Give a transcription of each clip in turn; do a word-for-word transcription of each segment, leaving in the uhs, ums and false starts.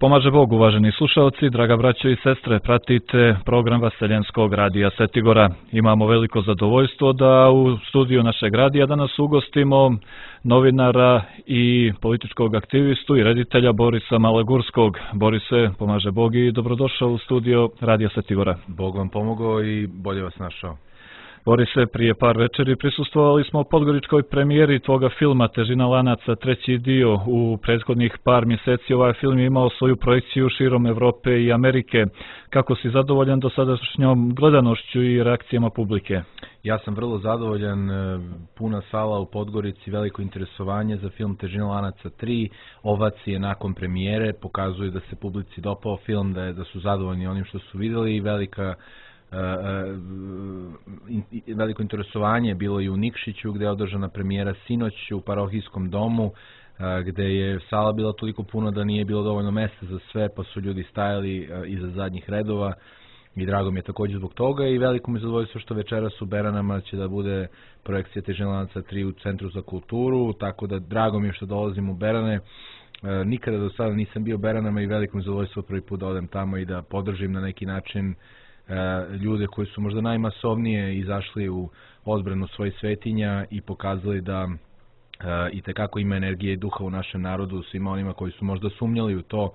Pomaže Bog, uvaženi slušalci, draga braćo i sestre, pratite program Vaseljenskog radija Setigora. Imamo veliko zadovoljstvo da u studiju našeg radija danas ugostimo novinara i političkog aktivistu i reditelja Borisa Malagurskog. Borise, pomaže Bog i dobrodošao u studio radija Setigora. Bog vam pomogao i bolje vas našao. Borise, prije par večeri prisustvovali smo podgoričkoj premijeri tvoga filma Težina lanaca, treći dio. U prethodnih par mjeseci ovaj film je imao svoju projekciju širom Evrope i Amerike. Kako si zadovoljan dosadašnjom gledanošću i reakcijama publike? Ja sam vrlo zadovoljan, puna sala u Podgorici, veliko interesovanje za film Težina lanaca tri, ovacije nakon premijere, pokazuju da se publici dopao film, da, je, da su zadovoljni onim što su vidjeli i velika Uh, uh, veliko interesovanje je bilo i u Nikšiću gdje je održana premijera sinoć u parohijskom domu, uh, gdje je sala bila toliko puno da nije bilo dovoljno mjesta za sve, pa su ljudi stajali uh, iza zadnjih redova i drago mi je također zbog toga i veliko mi je zadovoljstvo što večeras u Beranama će da bude projekcija Težina lanaca tri u Centru za kulturu, tako da drago mi je što dolazim u Berane. Uh, nikada do sada nisam bio u Beranama i veliko mi je zadovoljstvo prvi put da odem tamo i da podržim na neki način ljude koji su možda najmasovnije izašli u odbranu svojih svetinja i pokazali da uh, i tekako ima energije i duha u našem narodu, svima onima koji su možda sumnjali u to. Uh,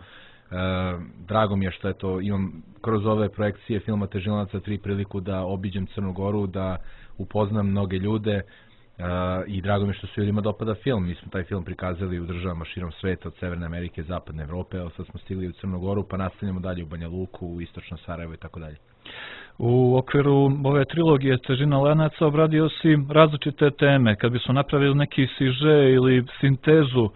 drago mi je što je to, imam kroz ove projekcije filma Težina lanaca tri priliku da obiđem Crnu Goru, da upoznam mnoge ljude uh, i drago mi je što se ljudima dopada film. Mi smo taj film prikazali u državama širom sveta, od Severne Amerike, Zapadne Evrope, ali sad smo stigli u Crnu Goru pa nastavljamo dalje u Banja Luku, u Istočno Sarajevo i tako dalje. U okviru ove trilogije Težina lanaca obradio si različite teme. Kad bismo napravili neki siže ili sintezu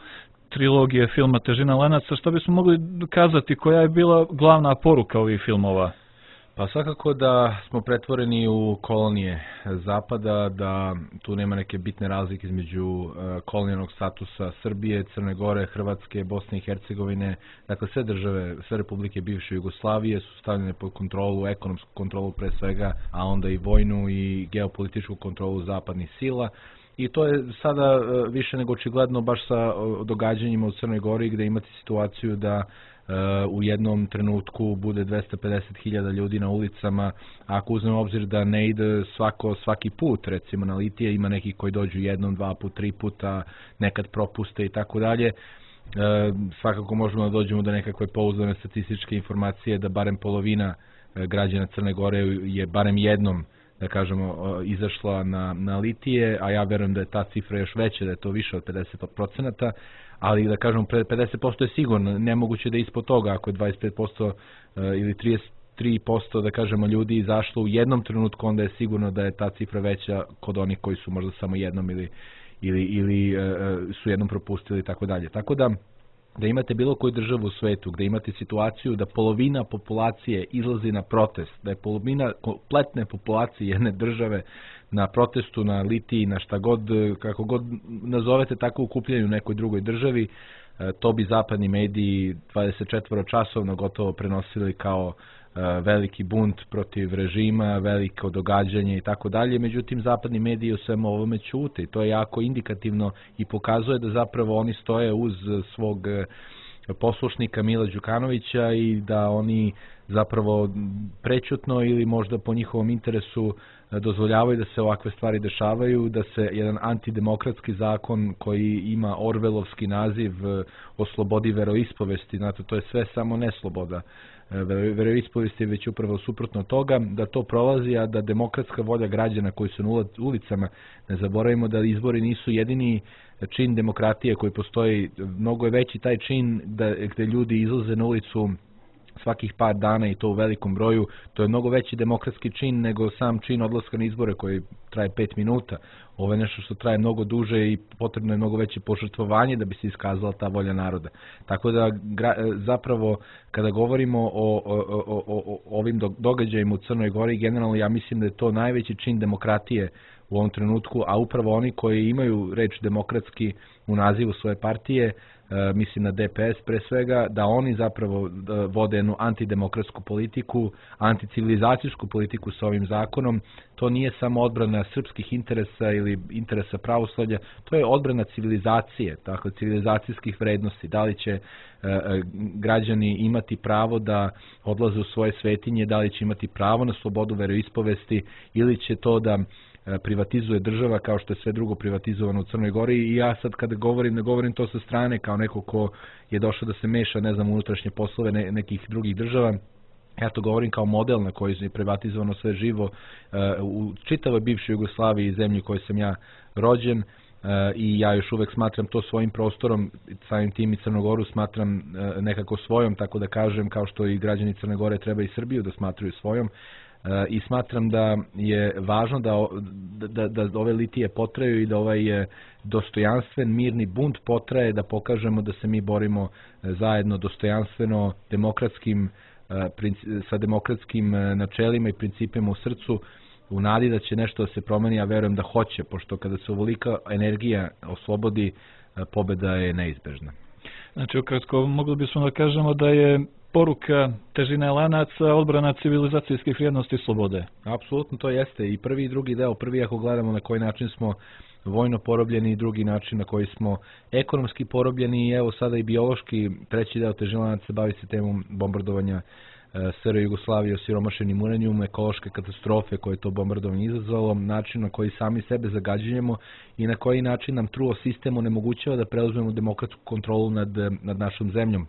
trilogije filma Težina lanaca, što bismo mogli kazati, koja je bila glavna poruka ovih filmova? Pa svakako da smo pretvoreni u kolonije Zapada, da tu nema neke bitne razlike između uh, kolonijalnog statusa Srbije, Crne Gore, Hrvatske, Bosne i Hercegovine. Dakle, sve države, sve republike bivše Jugoslavije su stavljene pod kontrolu, ekonomsku kontrolu pre svega, a onda i vojnu i geopolitičku kontrolu zapadnih sila. I to je sada uh, više nego očigledno baš sa uh, događanjima u Crnoj Gori, gdje imate situaciju da Uh, u jednom trenutku bude dvesta pedeset hiljada ljudi na ulicama, a ako uzmemo obzir da ne ide svako, svaki put, recimo na litije, ima neki koji dođu jednom, dva put, tri puta, nekad propuste i tako dalje, svakako možemo da dođemo do nekakve pouzdane statističke informacije da barem polovina uh, građana Crne Gore je barem jednom, da kažemo, izašla na, na litije, a ja verujem da je ta cifra još veća, da je to više od pedeset procenata, ali da kažemo pedeset posto je sigurno, nemoguće da je ispod toga, ako je dvadeset pet posto ili trideset tri posto da kažemo ljudi izašlo u jednom trenutku, onda je sigurno da je ta cifra veća kod onih koji su možda samo jednom ili, ili, ili uh, su jednom propustili i tako dalje. Tako da, da imate bilo koju državu u svetu, gdje imate situaciju da polovina populacije izlazi na protest, da je polovina kompletne populacije jedne države na protestu, na litiji, na šta god, kako god nazovete tako okupljanju u nekoj drugoj državi, to bi zapadni mediji dvadeset četiri časovno gotovo prenosili kao veliki bunt protiv režima, veliko događanje i tako dalje. Međutim, zapadni mediji o svemu ovome ćute i to je jako indikativno i pokazuje da zapravo oni stoje uz svog poslušnika Mila Đukanovića i da oni zapravo prečutno ili možda po njihovom interesu dozvoljavaju da se ovakve stvari dešavaju, da se jedan antidemokratski zakon koji ima orvelovski naziv o slobodi veroispovesti, znate, to je sve samo nesloboda. Veroispovest je već upravo suprotno toga, da to prolazi, a da demokratska volja građana koji su na ulicama, ne zaboravimo da izbori nisu jedini čin demokratije koji postoji, mnogo je veći taj čin da, gdje ljudi izlaze na ulicu svakih par dana i to u velikom broju, to je mnogo veći demokratski čin nego sam čin odlaska na izbore koji traje pet minuta. Ovo je nešto što traje mnogo duže i potrebno je mnogo veće požrtvovanje da bi se iskazala ta volja naroda. Tako da gra, zapravo kada govorimo o, o, o, o, o ovim događajima u Crnoj Gori, generalno ja mislim da je to najveći čin demokratije u ovom trenutku, a upravo oni koji imaju reč demokratski u nazivu svoje partije mislim na D P S pre svega, da oni zapravo vode jednu antidemokratsku politiku, anticivilizacijsku politiku sa ovim zakonom. To nije samo odbrana srpskih interesa ili interesa pravoslavlja, to je odbrana civilizacije, tako, civilizacijskih vrednosti. Da li će građani imati pravo da odlaze u svoje svetinje, da li će imati pravo na slobodu veroispovesti ili će to da privatizuje država kao što je sve drugo privatizovano u Crnoj Gori. I ja sad kada govorim, ne govorim to sa strane kao neko ko je došao da se meša, ne znam, unutrašnje poslove nekih drugih država. Ja to govorim kao model na koji je privatizovano sve živo u čitavoj bivšoj Jugoslaviji i zemlji u kojoj sam ja rođen. I ja još uvek smatram to svojim prostorom, samim tim i Crnogoru smatram nekako svojom, tako da kažem, kao što i građani Crne Gore treba i Srbiju da smatruju svojom. I smatram da je važno da, da, da ove litije potraju i da ovaj dostojanstven, mirni bunt potraje, da pokažemo da se mi borimo zajedno dostojanstveno, demokratskim, sa demokratskim načelima i principima u srcu, u nadi da će nešto da se promeni, ja verujem da hoće, pošto kada se ovolika energija oslobodi, pobeda je neizbežna. Znači, ukratko, mogli bismo da kažemo da je poruka težine lanaca, odbrana civilizacijskih vrijednosti i slobode. Apsolutno to jeste i prvi i drugi deo. Prvi ako gledamo na koji način smo vojno porobljeni i drugi način na koji smo ekonomski porobljeni i evo sada i biološki. Treći deo težine lanaca se bavi se temom bombardovanja S R Jugoslavije, osiromašenim uranijumom, ekološke katastrofe koje je to bombardovanje izazvalo, način na koji sami sebe zagađujemo i na koji način nam truo sistem onemogućava da preuzmemo demokratsku kontrolu nad, nad našom zemljom.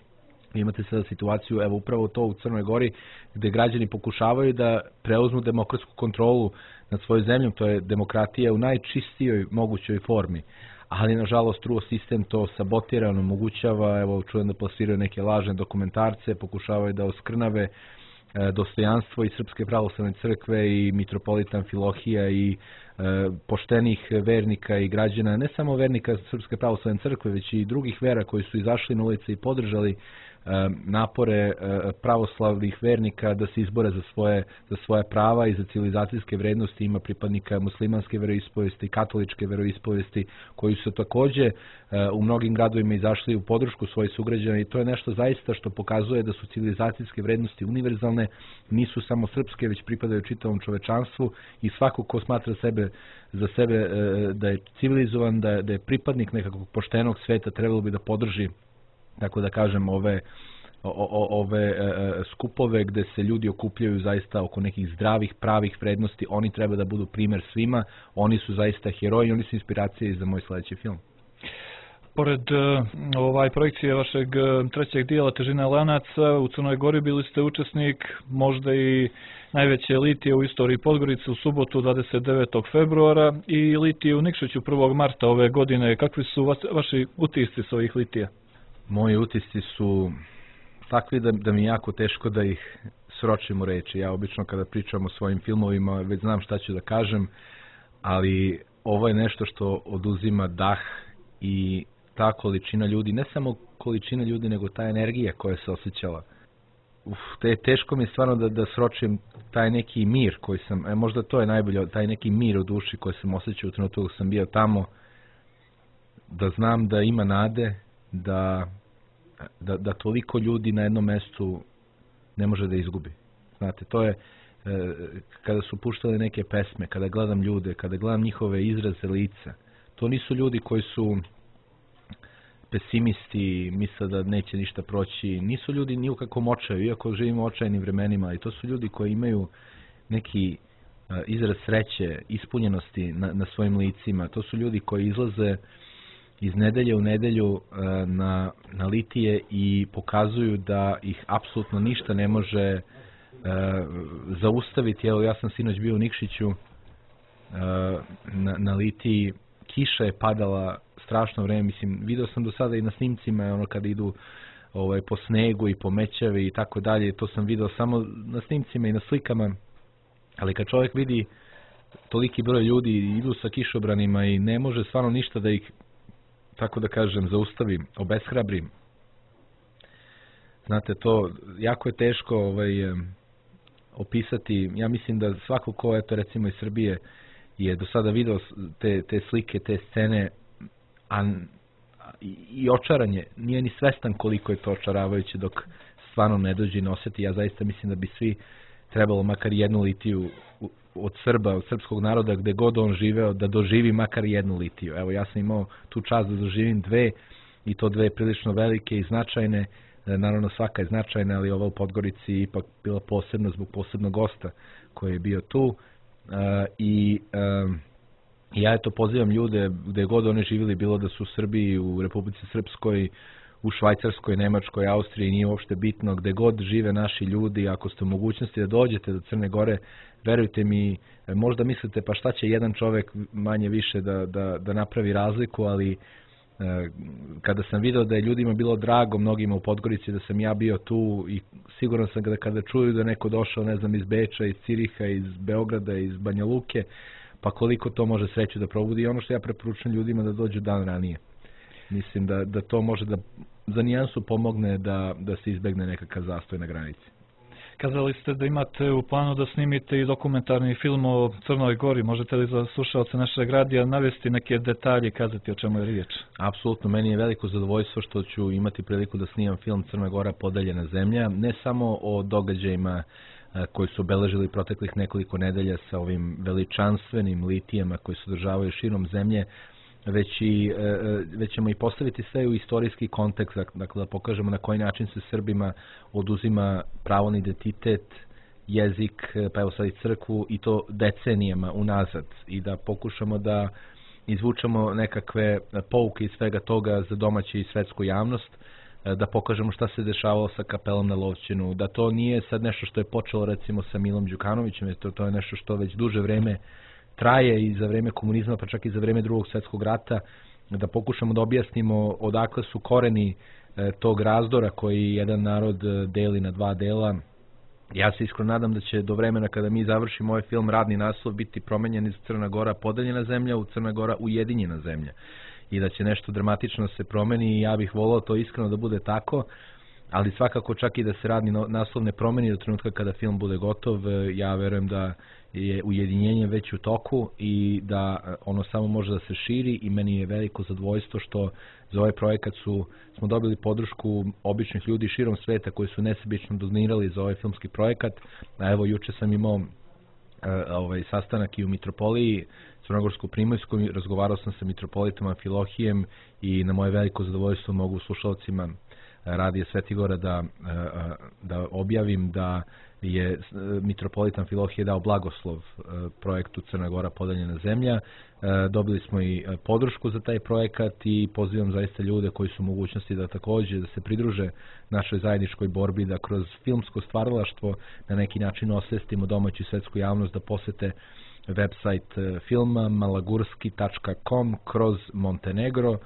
Imate sada situaciju, evo upravo to u Crnoj Gori, gde građani pokušavaju da preuzmu demokratsku kontrolu nad svojom zemljom, to je demokratija u najčistijoj mogućoj formi. Ali, nažalost, truo sistem to sabotira, omogućava, evo, čujem da plasiraju neke lažne dokumentarce, pokušavaju da oskrnave e, dostojanstvo i Srpske pravoslavne crkve i mitropolita Amfilohija i e, poštenih vernika i građana, ne samo vernika Srpske pravoslavne crkve, već i drugih vera koji su izašli na ulice i podržali napore pravoslavnih vernika da se izbore za svoje, za svoje prava i za civilizacijske vrednosti. Ima pripadnika muslimanske veroispovesti, katoličke veroispovesti koji su takođe u mnogim gradovima izašli u podršku svojih sugrađana i to je nešto zaista što pokazuje da su civilizacijske vrednosti univerzalne, nisu samo srpske, već pripadaju čitavom čovečanstvu i svako ko smatra sebe za sebe da je civilizovan, da je, da je pripadnik nekakvog poštenog sveta, trebalo bi da podrži, tako da kažem, ove, o, ove e, skupove gde se ljudi okupljaju zaista oko nekih zdravih, pravih vrednosti. Oni treba da budu primer svima, oni su zaista heroji, oni su inspiracije za moj sledeći film. Pored uh, ovaj projekcije vašeg trećeg dijela Težina lanaca, u Crnoj Gori bili ste učesnik možda i najveće litije u istoriji Podgorice u subotu dvadeset devetog februara i litije u Nikšiću prvog marta ove godine. Kakvi su vas, vaši utisci s ovih litija? Moji utisci su takvi da, da mi je jako teško da ih sročim u reči. Ja obično kada pričam o svojim filmovima već znam šta ću da kažem, ali ovo je nešto što oduzima dah i ta količina ljudi, ne samo količina ljudi, nego ta energija koja se osjećala. Uf, te, teško mi je stvarno da, da sročim taj neki mir koji sam, e, možda to je najbolje, taj neki mir u duši koji sam osjećao u trenutku dok sam bio tamo, da znam da ima nade, da, da, da toliko ljudi na jednom mestu ne može da izgubi. Znate, to je e, kada su puštali neke pesme, kada gledam ljude, kada gledam njihove izraze lica, to nisu ljudi koji su pesimisti, misle da neće ništa proći, nisu ljudi ni u kakvom očaju, iako živimo u očajnim vremenima, i to su ljudi koji imaju neki uh, izraz sreće, ispunjenosti na, na svojim licima, to su ljudi koji izlaze iz nedelje u nedelju uh, na, na litije i pokazuju da ih apsolutno ništa ne može uh, zaustaviti. Evo, ja sam sinoć bio u Nikšiću uh, na, na litiji, kiša je padala strašno vreme, mislim, video sam do sada i na snimcima, ono kada idu ovaj, po snegu i po mećavi i tako dalje, to sam video samo na snimcima i na slikama, ali kad čovjek vidi toliki broj ljudi idu sa kišobranima i ne može stvarno ništa da ih, tako da kažem, zaustavi, obeshrabri. Znate, to jako je teško ovaj, opisati. Ja mislim da svako ko, eto recimo iz Srbije, je do sada video te, te slike, te scene, a, i, i očaran je, nije ni svestan koliko je to očaravajuće dok stvarno ne dođe i ne osjeti. Ja zaista mislim da bi svi trebalo makar jednu litiju od Srba, od srpskog naroda, gde god on živeo, da doživi makar jednu litiju. Evo, ja sam imao tu čast da doživim dve, i to dve prilično velike i značajne. Naravno, svaka je značajna, ali ova u Podgorici je ipak bila posebna zbog posebnog gosta koji je bio tu. I ja to pozivam ljude, gde god oni živjeli, bilo da su u Srbiji, u Republici Srpskoj, u Švajcarskoj, Nemačkoj, Austriji, nije uopšte bitno, gde god žive naši ljudi, ako ste u mogućnosti da dođete do Crne Gore, verujte mi, možda mislite pa šta će jedan čovek manje više da, da, da napravi razliku, ali kada sam video da je ljudima bilo drago, mnogima u Podgorici, da sam ja bio tu, i siguran sam da kada čuju da neko došao, ne znam, iz Beča, iz Ciriha, iz Beograda, iz Banja Luke, pa koliko to može sreću da probudi. I ono što ja preporučujem ljudima da dođu dan ranije. Mislim da, da to može da za nijansu pomogne da, da se izbegne nekakav zastoj na granici. Kazali ste da imate u planu da snimite i dokumentarni film o Crnoj Gori. Možete li za slušalce našeg radija navesti neke detalje i kazati o čemu je riječ? Apsolutno, meni je veliko zadovoljstvo što ću imati priliku da snimam film Crna Gora podeljena zemlja, ne samo o događajima koji su obeležili proteklih nekoliko nedelja sa ovim veličanstvenim litijama koji se održavaju širom zemlje, već, i, već ćemo i postaviti sve u istorijski kontekst, dakle da pokažemo na koji način se Srbima oduzima pravo na identitet, jezik, pa evo sad i crkvu, i to decenijama unazad, i da pokušamo da izvučemo nekakve pouke iz svega toga za domaću i svetsku javnost, da pokažemo šta se dešavalo sa kapelom na Lovćenu, da to nije sad nešto što je počelo recimo sa Milom Đukanovićem, to, to je nešto što već duže vreme traje i za vreme komunizma, pa čak i za vreme drugog svjetskog rata, da pokušamo da objasnimo odakle su koreni tog razdora koji jedan narod deli na dva dela. Ja se iskreno nadam da će do vremena kada mi završimo ovaj film radni naslov biti promenjen iz Crna Gora podeljena zemlja u Crna Gora ujedinjena zemlja, i da će nešto dramatično se promeni, i ja bih volao to iskreno da bude tako, ali svakako čak i da se radni naslov ne promeni do trenutka kada film bude gotov. Ja verujem da je ujedinjenje već u toku i da ono samo može da se širi, i meni je veliko zadovoljstvo što za ovaj projekat su, smo dobili podršku običnih ljudi širom sveta koji su nesebično donirali za ovaj filmski projekat. A evo, juče sam imao ovaj sastanak i u Mitropoliji Crnogorsko-Primorskoj, razgovarao sam sa mitropolitom Amfilohijem, i na moje veliko zadovoljstvo mogu slušalcima Radija Svetigora da, da objavim da je mitropolit Amfilohije dao blagoslov projektu Crna Gora podeljena zemlja. Dobili smo i podršku za taj projekat, i pozivam zaista ljude koji su u mogućnosti da također da se pridruže našoj zajedničkoj borbi, da kroz filmsko stvaralaštvo na neki način osvestimo domaću i svetsku javnost, da posete website filma malagurski tačka com kroz Montenegro,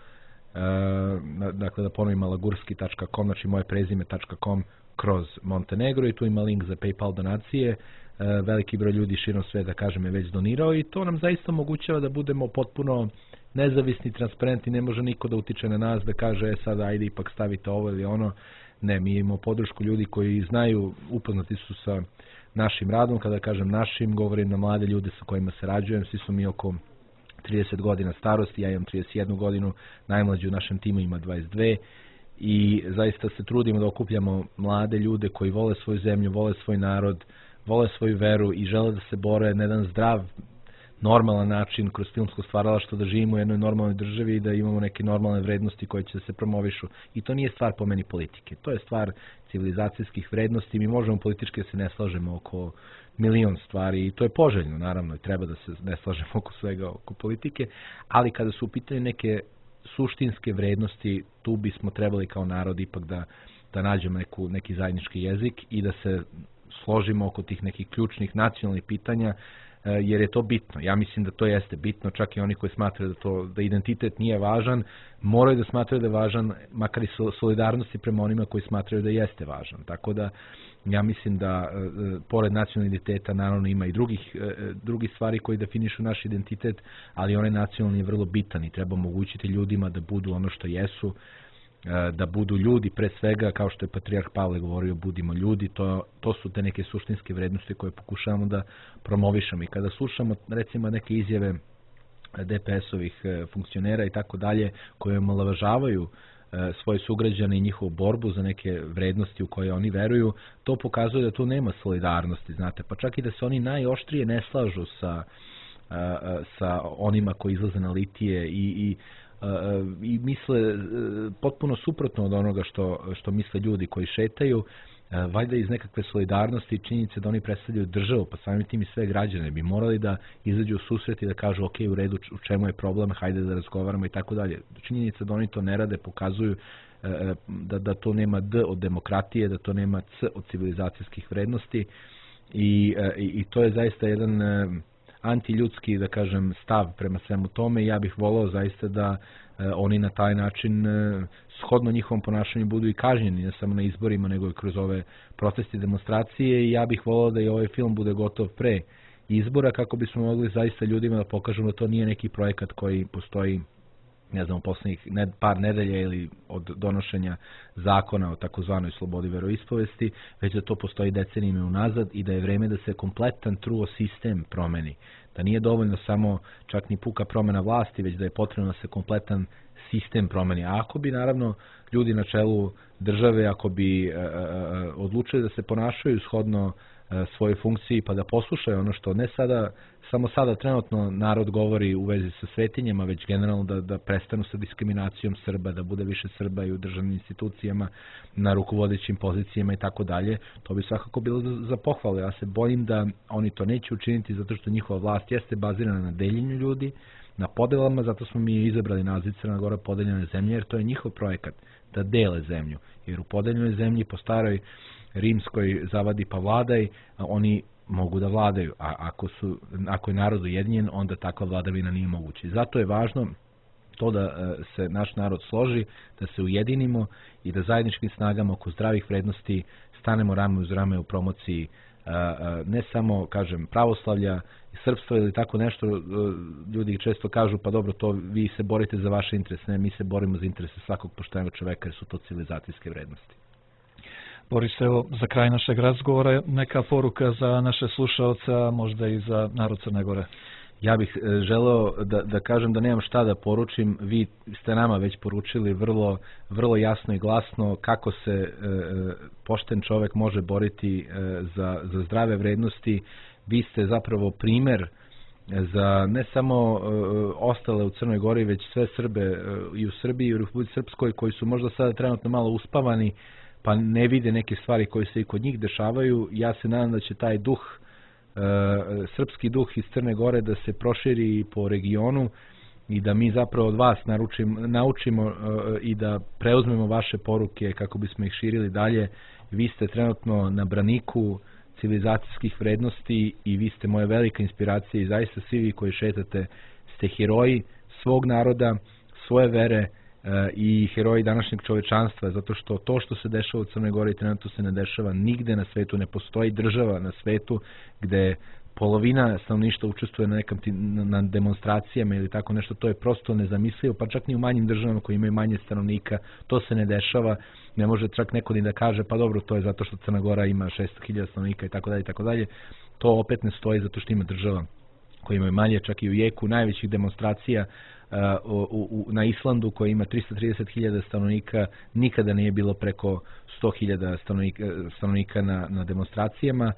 dakle da ponovim malagurski tačka com, znači moje prezime tačka com kroz Montenegro, i tu ima link za PayPal donacije. Veliki broj ljudi širom sveta, kažem, je već donirao, i to nam zaista omogućava da budemo potpuno nezavisni, transparentni. Ne može niko da utiče na nas, da kaže e sad ajde ipak stavite ovo ili ono. Ne, mi imamo podršku ljudi koji znaju, upoznati su sa našim radom. Kada kažem našim, govorim na mlade ljude sa kojima se rađujem, svi su mi oko trideset godina starosti, ja imam trideset jednu godinu, najmlađi u našem timu ima dvadeset dve, i zaista se trudimo da okupljamo mlade ljude koji vole svoju zemlju, vole svoj narod, vole svoju veru i žele da se bore na jedan zdrav, normalan način kroz filmsko stvaralaštvo, da živimo u jednoj normalnoj državi i da imamo neke normalne vrednosti koje će se promovišu. I to nije stvar po meni politike, to je stvar civilizacijskih vrednosti. Mi možemo politički da se ne slažemo oko milion stvari, i to je poželjno, naravno, i treba da se ne slažemo oko svega, oko politike, ali kada su u pitanju neke suštinske vrednosti, tu bismo trebali kao narod ipak da, da nađemo neku, neki zajednički jezik i da se složimo oko tih nekih ključnih nacionalnih pitanja, jer je to bitno. Ja mislim da to jeste bitno, čak i oni koji smatraju da, to, da identitet nije važan, moraju da smatraju da je važan, makar i solidarnosti prema onima koji smatraju da jeste važan. Tako da ja mislim da pored nacionalnog identiteta naravno ima i drugih, drugih stvari koji definišu naš identitet, ali onaj nacionalni je vrlo bitan i treba omogućiti ljudima da budu ono što jesu, da budu ljudi pre svega, kao što je patrijarh Pavle govorio, budimo ljudi. To, to su te neke suštinske vrednosti koje pokušavamo da promovišemo. I kada slušamo recimo neke izjave D P S-ovih funkcionera i tako dalje, koje omalovažavaju svoje sugrađane i njihovu borbu za neke vrednosti u koje oni veruju, to pokazuje da tu nema solidarnosti, znate, pa čak i da se oni najoštrije ne slažu sa, sa onima koji izlaze na litije i, i, i misle potpuno suprotno od onoga što, što misle ljudi koji šetaju, valjda iz nekakve solidarnosti i činjenice da oni predstavljaju državu, pa samim tim i sve građane bi morali da izađu u susret i da kažu ok, u redu, u čemu je problem, hajde da razgovaramo i tako dalje. Činjenica da oni to ne rade pokazuju da, da to nema D od demokratije, da to nema C od civilizacijskih vrednosti i, i, i to je zaista jedan antiljudski, da kažem, stav prema svemu tome i ja bih volao zaista da oni na taj način shodno njihovom ponašanju budu i kažnjeni, ne samo na izborima, nego i kroz ove proteste i demonstracije i ja bih volao da i ovaj film bude gotov pre izbora kako bismo mogli zaista ljudima da pokažemo da to nije neki projekat koji postoji, ne znam, u poslednjih par nedelja ili od donošenja zakona o takozvanoj slobodi veroispovesti, već da to postoji decenijima unazad i da je vreme da se kompletan truo sistem promeni. Da nije dovoljno samo čak ni puka promena vlasti, već da je potrebno da se kompletan sistem promeni. A ako bi, naravno, ljudi na čelu države, ako bi uh, uh, odlučili da se ponašaju shodno uh, svojoj funkciji, pa da poslušaju ono što ne sada, samo sada trenutno narod govori u vezi sa svetinjama, već generalno da, da prestanu sa diskriminacijom Srba, da bude više Srba i u državnim institucijama, na rukovodećim pozicijama i tako dalje, to bi svakako bilo za, za pohvalu. Ja se bojim da oni to neće učiniti zato što njihova vlast jeste bazirana na deljenju ljudi, na podelama, zato smo mi izabrali naziv Crna Gora podeljene zemlje, jer to je njihov projekat, da dele zemlju. Jer u podeljenoj zemlji, po staroj rimskoj zavadi pa vladaj, oni mogu da vladaju, a ako, su, ako je narod ujedinjen, onda takva vladavina nije moguća. Zato je važno to da se naš narod složi, da se ujedinimo i da zajedničkim snagama oko zdravih vrednosti stanemo rame uz rame u promociji ne samo, kažem, pravoslavlja i srpstva ili tako nešto. Ljudi često kažu, pa dobro, to vi se borite za vaše interese, ne, mi se borimo za interese svakog poštenog čoveka jer su to civilizacijske vrednosti. Boris, evo, za kraj našeg razgovora neka poruka za naše slušaoce, a možda i za narod Crne Gore. Ja bih želeo da, da kažem da nemam šta da poručim. Vi ste nama već poručili vrlo, vrlo jasno i glasno kako se e, pošten čovek može boriti e, za, za zdrave vrednosti. Vi ste zapravo primer za ne samo e, ostale u Crnoj Gori, već sve Srbe e, i u Srbiji i u Republici Srpskoj koji su možda sada trenutno malo uspavani pa ne vide neke stvari koje se i kod njih dešavaju. Ja se nadam da će taj duh, e, srpski duh iz Crne Gore da se proširi po regionu i da mi zapravo od vas naručim, naučimo e, i da preuzmemo vaše poruke kako bismo ih širili dalje. Vi ste trenutno na braniku civilizacijskih vrednosti i vi ste moja velika inspiracija i zaista svi vi koji šetate ste heroji svog naroda, svoje vere i heroji današnjeg čovečanstva, zato što to što se dešava u Crnoj Gori trenutno se ne dešava nigde na svetu, ne postoji država na svetu gde polovina stanovništva učestvuje na, nekim, na demonstracijama ili tako nešto, to je prosto nezamislivo, pa čak ni u manjim državama koji imaju manje stanovnika, to se ne dešava, ne može čak neko ni da kaže, pa dobro, to je zato što Crna Gora ima šesto hiljada stanovnika i tako dalje i tako dalje, to opet ne stoji zato što ima država koji imaju manje, čak i u jeku najvećih demonstracija uh, u, u, na Islandu koji ima tristo trideset hiljada stanovnika, nikada nije bilo preko sto hiljada stanovnika, stanovnika na, na demonstracijama.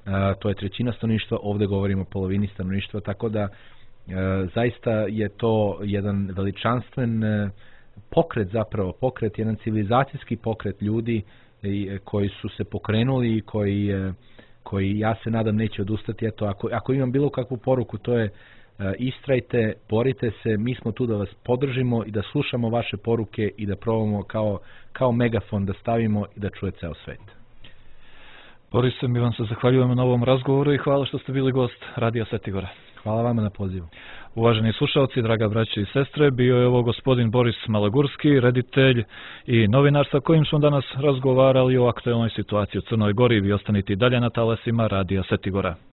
Uh, to je trećina stanovništva, ovdje govorimo o polovini stanovništva, tako da uh, zaista je to jedan veličanstven uh, pokret zapravo, pokret, jedan civilizacijski pokret ljudi uh, koji su se pokrenuli i koji, uh, koji ja se nadam neće odustati. Eto, ako, ako imam bilo kakvu poruku, to je uh, istrajte, borite se, mi smo tu da vas podržimo i da slušamo vaše poruke i da probamo kao, kao megafon da stavimo i da čuje ceo svet. Boris, mi vam se zahvaljujemo na ovom razgovoru i hvala što ste bili gost Radija Setigora. Hvala vama na pozivu. Uvaženi slušalci, draga braće i sestre, bio je ovo gospodin Boris Malagurski, reditelj i novinar sa kojim smo danas razgovarali o aktuelnoj situaciji u Crnoj Gori. Vi ostanite i dalje na talasima Radija Setigora.